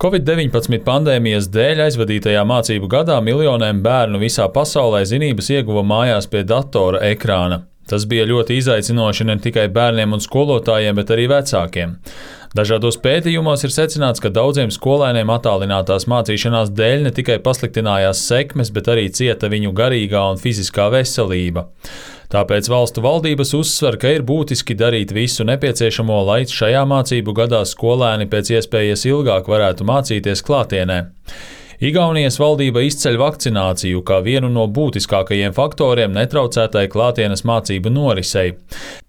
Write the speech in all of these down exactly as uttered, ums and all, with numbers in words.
Covid deviņpadsmit pandēmijas dēļ aizvadītajā mācību gadā miljoniem bērnu visā pasaulē zinības ieguva mājās pie datora ekrāna. Tas bija ļoti izaicinoši ne tikai bērniem un skolotājiem, bet arī vecākiem. Dažādos pētījumos ir secināts, ka daudziem skolēniem attālinātās mācīšanās dēļ ne tikai pasliktinājās sekmes, bet arī cieta viņu garīgā un fiziskā veselība. Tāpēc valstu valdības uzsver, ka ir būtiski darīt visu nepieciešamo, lai šajā mācību gadā skolēni pēc iespējas ilgāk varētu mācīties klātienē. Igaunijas valdība izceļ vakcināciju kā vienu no būtiskākajiem faktoriem netraucētai klātienes mācību norisei.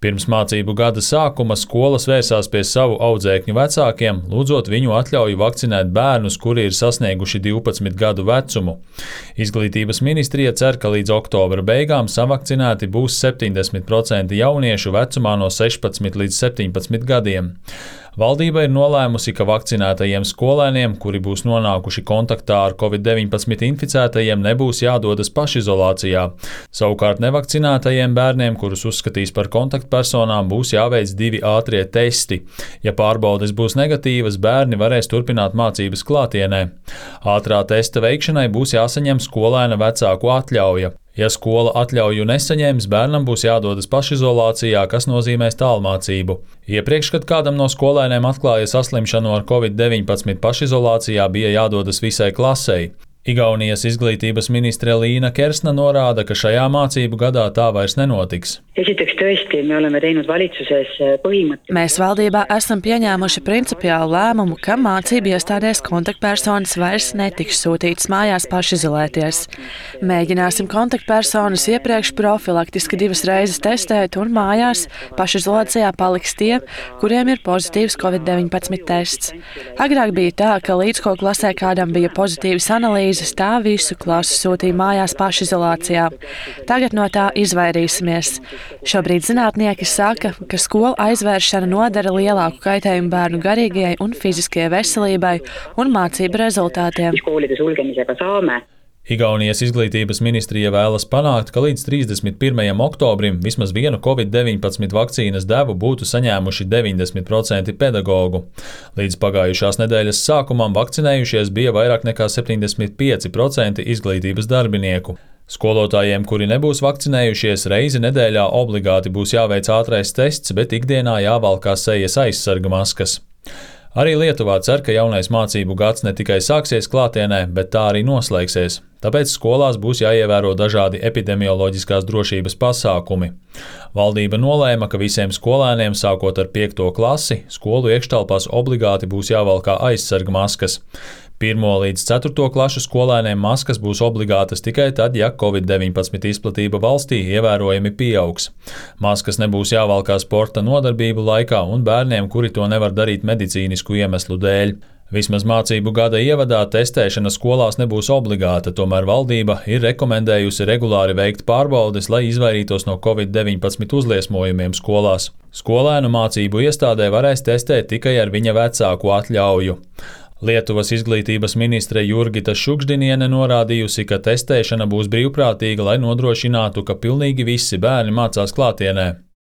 Pirms mācību gada sākuma skolas vērsās pie savu audzēkņu vecākiem, lūdzot viņu atļauju vakcinēt bērnus, kuri ir sasnieguši divpadsmit gadu vecumu. Izglītības ministrija cer, ka līdz oktobra beigām savakcinēti būs septiņdesmit procenti jauniešu vecumā no sešpadsmit līdz septiņpadsmit gadiem. Valdība ir nolēmusi, ka vakcinētajiem skolēniem, kuri būs nonākuši kontaktā ar Covid deviņpadsmit inficētajiem, nebūs jādodas pašizolācijā. Savukārt nevakcinētajiem bērniem, kurus uzskatīs par kontaktpersonām, būs jāveic divi ātrie testi. Ja pārbaudes būs negatīvas, bērni varēs turpināt mācības klātienē. Ātrā testa veikšanai būs jāsaņem skolēna vecāku atļauja. Ja skola atļauju nesaņems, bērnam būs jādodas pašizolācijā, kas nozīmēs tālmācību. Iepriekš, kad kādam no skolēniem atklāja saslimšanu ar Covid deviņpadsmit, pašizolācijā bija jādodas visai klasei. Igaunijas izglītības ministre Liina Kersna norāda, ka šajā mācību gadā tā vairs nenotiks. Esiteks tõesti, me oleme teinud valitsuses põhimõtteliselt. Mēs valdībā esam pieņēmuši principiālu lēmumu, ka mācību iestādēs kontaktpersonas vairs netiks sūtītas mājās pašizolēties. Mēģināsim kontaktpersonas iepriekš profilaktiski divas reizes testēt un mājās pašizolācijā paliks tie, kuriem ir pozitīvs Covid deviņpadsmit tests. Agrāk bija tā, ka līdz ko klasē kādam bija pozitīvas analīzes, tā visu klasi sūtīja mājās pašizolācijā. Tagad no tā izvairīsimies. Šobrīd zinātnieki saka, ka skolu aizvēršana nodara lielāku kaitējumu bērnu garīgajai un fiziskajai veselībai un mācību rezultātiem. Igaunijas izglītības ministrija vēlas panākt, ka līdz trīsdesmit pirmajam oktobrim vismaz vienu Covid deviņpadsmit vakcīnas devu būtu saņēmuši deviņdesmit procenti pedagogu. Līdz pagājušās nedēļas sākumam vakcinējušies bija vairāk nekā septiņdesmit pieci procenti izglītības darbinieku. Skolotājiem, kuri nebūs vakcinējušies, reizi nedēļā obligāti būs jāveic ātrais tests, bet ikdienā jāvalkā sejas aizsarga maskas. Arī Lietuvā cer, ka jaunais mācību gads ne tikai sāksies klātienē, bet tā arī noslēgsies. Tāpēc skolās būs jāievēro dažādi epidemioloģiskās drošības pasākumi. Valdība nolēma, ka visiem skolēniem, sākot ar piekto klasi, skolu iekštelpās obligāti būs jāvalkā aizsarga maskas. Pirmo līdz ceturto klašu skolēniem maskas būs obligātas tikai tad, ja Covid deviņpadsmit izplatība valstī ievērojami pieaugs. Maskas nebūs jāvalkā sporta nodarbību laikā un bērniem, kuri to nevar darīt medicīnisku iemeslu dēļ. Vismaz mācību gada ievadā testēšana skolās nebūs obligāta, tomēr valdība ir rekomendējusi regulāri veikt pārbaudes, lai izvairītos no Covid deviņpadsmit uzliesmojumiem skolās. Skolēnu mācību iestādē varēs testēt tikai ar viņa vecāku atļauju. Lietuvas izglītības ministre Jurgita Šukšdiniene norādījusi, ka testēšana būs brīvprātīga, lai nodrošinātu, ka pilnīgi visi bērni mācās klātienē.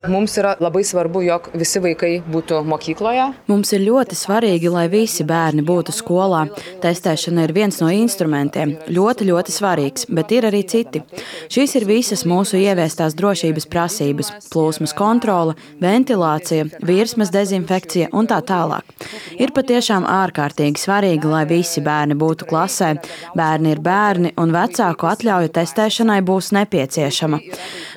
Mums ir labai svarbu, jog visi vaikai būtu mokykloje. Mums ir ļoti svarīgi, lai visi bērni būtu skolā. Testēšana ir viens no instrumentiem. Ļoti, ļoti svarīgs, bet ir arī citi. Šīs ir visas mūsu ieviestās drošības prasības – plūsmas kontrole, ventilācija, virsmas dezinfekcija un tā tālāk. Ir patiešām ārkārtīgi svarīgi, lai visi bērni būtu klasē. Bērni ir bērni un vecāku atļauja testēšanai būs nepieciešama.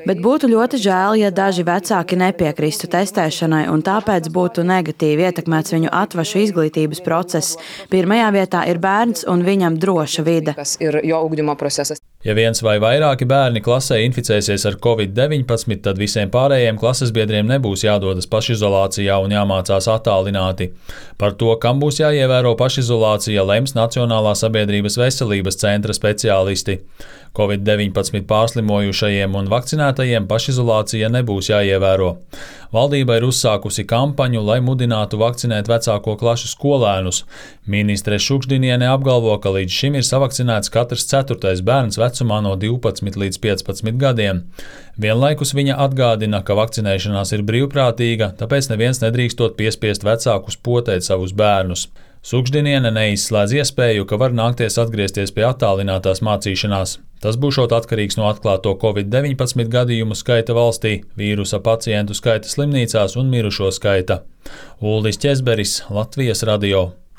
Bet būtu ļoti žēl, ja daži vecāki nepiekristu testēšanai un tāpēc būtu negatīvi ietekmēts viņu atvašu izglītības process. Pirmajā vietā ir bērns un viņam droša vide. Ja viens vai vairāki bērni klasē inficēsies ar Covid deviņpadsmit, tad visiem pārējiem klases biedriem nebūs jādodas pašizolācijā un jāmācās attālināti. Par to, kam būs jāievēro pašizolācija, lems Nacionālā sabiedrības veselības centra speciālisti. Covid deviņpadsmit pārslimojušajiem un vakcinētajiem pašizolācija nebūs jāievēro. Valdība ir uzsākusi kampaņu, lai mudinātu vakcinēt vecāko klašu skolēnus. Ministre Šukšdiniene apgalvo, ka līdz šim ir savakcinēts katrs ceturtais bērns vecumā no divpadsmit līdz piecpadsmit gadiem. Vienlaikus viņa atgādina, ka vakcinēšanās ir brīvprātīga, tāpēc neviens nedrīkstot piespiest vecākus potēt savus bērnus. Sukždiniene neizslēdz iespēju, ka var nākties atgriezties pie attālinātās mācīšanās. Tas būšot atkarīgs no atklāto covid deviņpadsmit gadījumu skaita valstī, vīrusa pacientu skaita slimnīcās un mirušo skaita. Uldis Ķezberis, Latvijas radio.